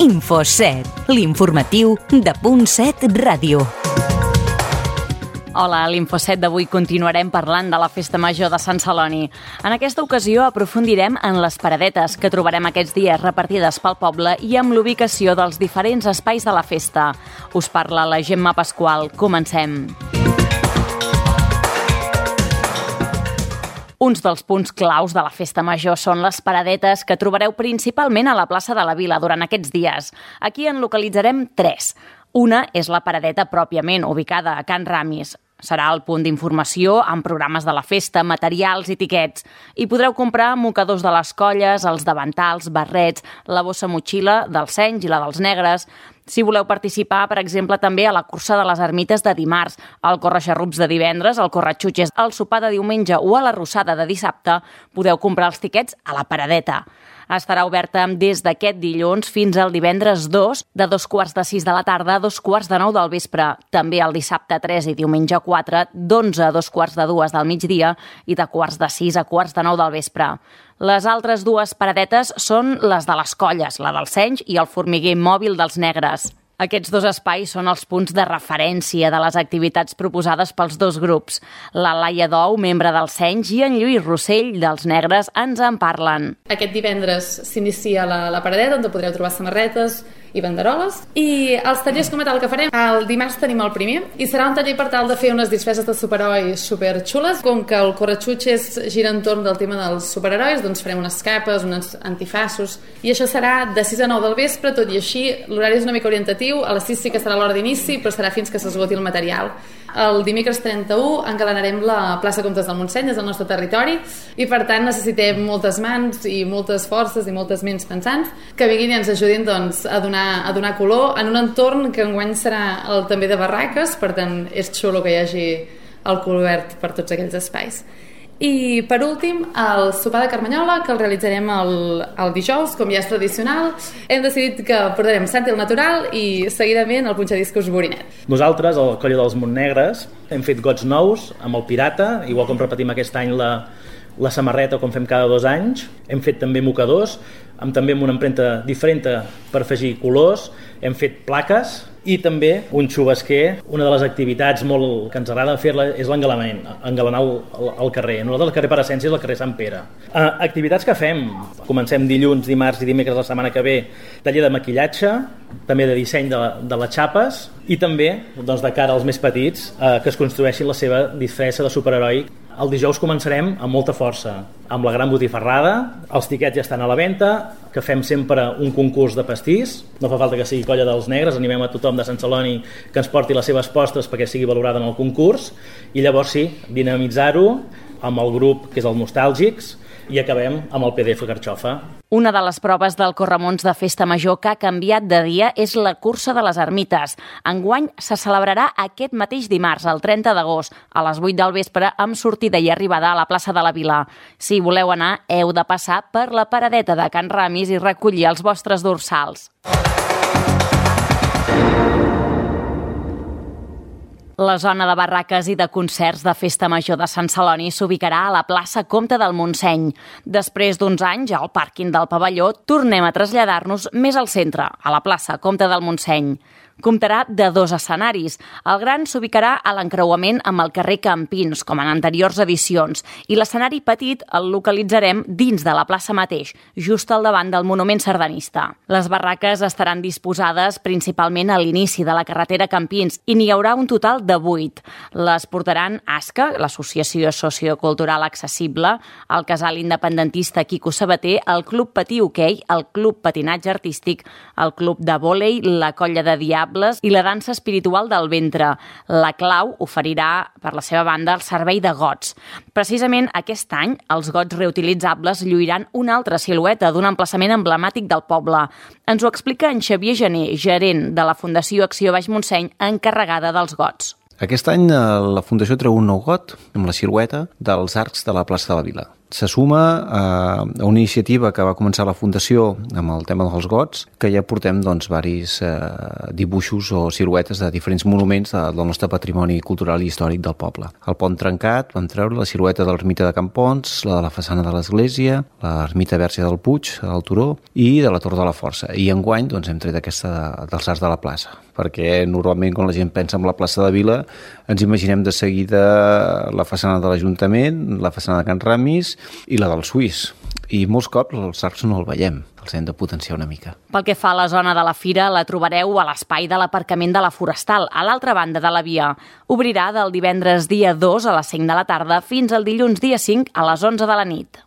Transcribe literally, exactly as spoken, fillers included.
Info set, l'informatiu de Punt set Ràdio. Hola, a l'Info set d'avui continuarem parlant de la Festa Major de Sant Celoni. En aquesta ocasió aprofundirem en les paradetes que trobarem aquests dies repartides pel poble i amb l'ubicació dels diferents espais de la festa. Us parla la Gemma Pasqual. Comencem. Uns dels punts claus de la Festa Major són les paradetes que trobareu principalment a la plaça de la Vila durant aquests dies. Aquí en localitzarem tres. Una és la paradeta pròpiament, ubicada a Can Ramis. Serà el punt d'informació amb programes de la festa, materials i tiquets. Hi podreu comprar mocadors de les colles, els davantals, barrets, la bossa motxilla dels senys i la dels negres. Si voleu participar, per exemple, també a la cursa de les ermites de dimarts, al corre-xarrups de divendres, al corre-xutxes, al sopar de diumenge o a la rossada de dissabte, podeu comprar els tiquets a la paradeta. Estarà oberta des d'aquest dilluns fins al divendres dos, de dos quarts de sis de la tarda a dos quarts de nou del vespre. També el dissabte tres i diumenge quatre, d'onze a dos quarts de dues del migdia i de quarts de sis a quarts de nou del vespre. Les altres dues paradetes són les de les colles, la dels senys i el formiguer mòbil dels negres. Aquests dos espais són els punts de referència de les activitats proposades pels dos grups. La Laia Dou, membre dels Senys, i en Lluís Rossell, dels Negres, ens en parlen. Aquest divendres s'inicia la, la paradeta, on podreu trobar samarretes i banderoles. I els tallers com a tal que farem, el dimarts tenim el primer, i serà un taller per tal de fer unes disfresses de superherois superxules. Com que el corre-xutxes gira entorn del tema dels superherois, doncs farem unes capes, uns antifaços, i això serà de sis a nou del vespre, tot i així l'horari és una mica orientatiu. A les sis sí que serà l'hora d'inici, però serà fins que s'esgoti el material. El dimecres trenta-u engalanarem la plaça Comtes del Montseny, és el nostre territori, i per tant necessitem moltes mans i moltes forces i moltes ments pensants que vinguin i ens ajudin doncs, a, donar, a donar color en un entorn que enguany serà el, també de barraques, per tant és xulo que hi hagi el color verd per tots aquells espais. I per últim, el sopar de Carmanyola, que el realitzarem el, el dijous, com ja és tradicional. Hem decidit que portarem Santi el natural i seguidament el punxadiscos Borinet. Nosaltres, al Coll dels Montnegres, hem fet gots nous amb el Pirata, igual com repetim aquest any la, la samarreta com fem cada dos anys. Hem fet també mocadors, amb també amb una empremta diferent per afegir colors. Hem fet plaques i també un xubasquer. Una de les activitats molt que ens agrada fer-la és l'engalanament, engalanar el, el, el carrer. Nosaltres el carrer per essència és el carrer Sant Pere. Uh, activitats que fem, comencem dilluns, dimarts i dimecres la setmana que ve, taller de maquillatge, també de disseny de, de les xapes i també doncs, de cara als més petits uh, que es construeixin la seva disfressa de superheroi. El dijous començarem amb molta força, amb la gran botifarrada, els tiquets ja estan a la venda, que fem sempre un concurs de pastís, no fa falta que sigui Colla dels Negres, animem a tothom de Sant Celoni que ens porti les seves postres perquè sigui valorada en el concurs, i llavors sí, dinamitzar-ho amb el grup que és el Nostàlgics, i acabem amb el P D F Carxofa. Una de les proves del Corremons de Festa Major que ha canviat de dia és la cursa de les ermites. Enguany se celebrarà aquest mateix dimarts, el trenta d'agost, a les vuit del vespre, amb sortida i arribada a la plaça de la Vila. Si voleu anar, heu de passar per la paradeta de Can Ramis i recollir els vostres dorsals. La zona de barraques i de concerts de Festa Major de Sant Celoni s'ubicarà a la plaça Comte del Montseny. Després d'uns anys, al pàrquing del pavelló, tornem a traslladar-nos més al centre, a la plaça Comte del Montseny. Comptarà de dos escenaris. El gran s'ubicarà a l'encreuament amb el carrer Campins, com en anteriors edicions, i l'escenari petit el localitzarem dins de la plaça mateix, just al davant del monument sardanista. Les barraques estaran disposades principalment a l'inici de la carretera Campins i n'hi haurà un total de vuit. Les portaran ASCA, l'Associació Sociocultural Accessible, el Casal Independentista Quico Sabater, el Club Patí Hoquei, el Club Patinatge Artístic, el Club de Vòlei, la Colla de Diables i la dansa espiritual del ventre. La Clau oferirà, per la seva banda, el servei de gots. Precisament aquest any, els gots reutilitzables lluiran una altra silueta d'un emplaçament emblemàtic del poble. Ens ho explica en Xavier Gené, gerent de la Fundació Acció Baix Montseny, encarregada dels gots. Aquest any la Fundació treu un nou got amb la silueta dels arcs de la plaça de la Vila. se suma a una iniciativa que va començar la Fundació amb el tema dels gots, que ja portem doncs varis eh, dibuixos o siluetes de diferents monuments de, del nostre patrimoni cultural i històric del poble. El pont trencat, vam treure la silueta de l'ermita de Campons, la de la façana de l'església, l'ermita Verge del Puig, del Turó, i de la Torre de la Força. I enguany doncs, hem tret aquesta de, dels arcs de la plaça, perquè normalment quan la gent pensa en la plaça de Vila ens imaginem de seguida la façana de l'Ajuntament, la façana de Can Ramis i la del Suís. I molts cops els arcs no el veiem, els hem de potenciar una mica. Pel que fa a la zona de la fira, la trobareu a l'espai de l'aparcament de la Forestal, a l'altra banda de la via. Obrirà del divendres dia dos a les cinc de la tarda fins al dilluns dia cinc a les onze de la nit.